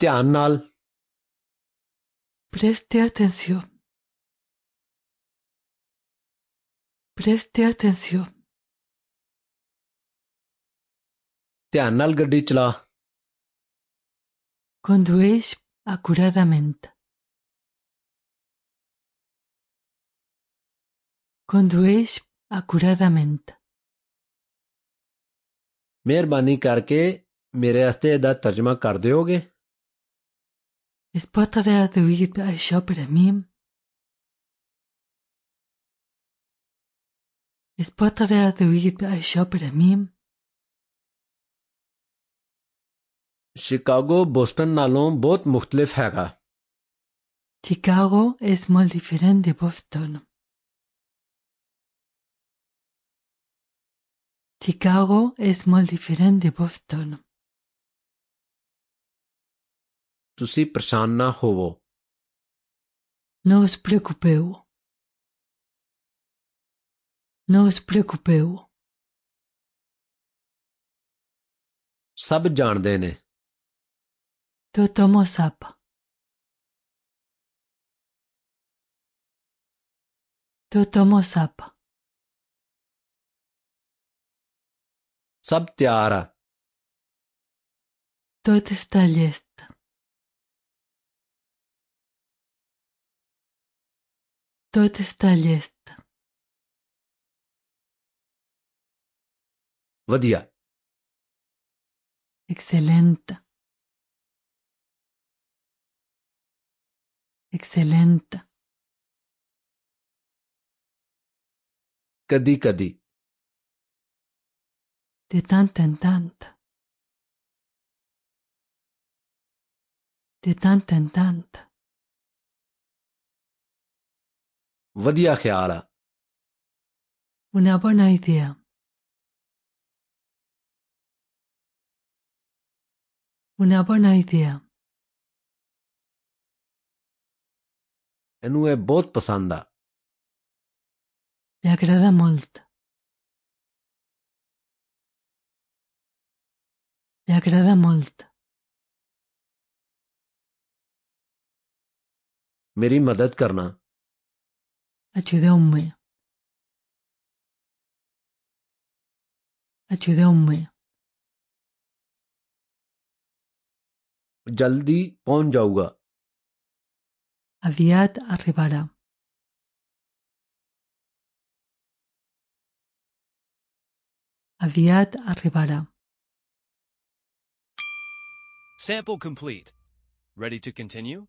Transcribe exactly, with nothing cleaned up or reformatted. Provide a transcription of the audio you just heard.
ਧਿਆਨ ਨਾਲ Preste atención. Preste atención. ਧਿਆਨ ਨਾਲ ਗੱਡੀ ਚਲਾ Condueix acuradamente. Condueix acuradamente. ਮਿਹਰਬਾਨੀ ਕਰਕੇ ਮੇਰੇ ਵਾਸਤੇ ਇਹਦਾ ਤਰਜਮਾ ਕਰ ਦਿਓਗੇ Es pot traduir això per a mi? Es pot traduir això per a mi? Chicago Boston ਨਾਲੋਂ ਬਹੁਤ ਮੁਖਤਲਿਫ ਹੈਗਾ Chicago és molt diferent de Boston. Chicago és molt diferent de Boston. ਤੁਸੀਂ ਪਰੇਸ਼ਾਨ ਨਾ ਹੋਵੋ No us preocupeu. No us preocupeu. ਸਭ ਜਾਣਦੇ ਨੇ Tothom ho sap. Tothom ho sap. ਸਭ ਤਿਆਰ ਆ Tot està llest. Tot està llest. ਵਧੀਆ Excel·lent. Excel·lent. ਕਦੀ ਕਦੀ De tant en tant. De tant en tant. ਵਧੀਆ ਖਿਆਲ ਆ Una bona idea. Una bona idea. ਇਹਨੂੰ ਇਹ ਬਹੁਤ ਪਸੰਦ ਆ Li agrada molt. Li agrada molt. ਮੇਰੀ ਮਦਦ ਕਰਨਾ Ajudeu-me. Ajudeu-me. ਜਲਦੀ ਪਹੁੰਚ ਜਾਊਗਾ Aviat arribarà. Aviat arribarà. Sample complete. Ready to continue?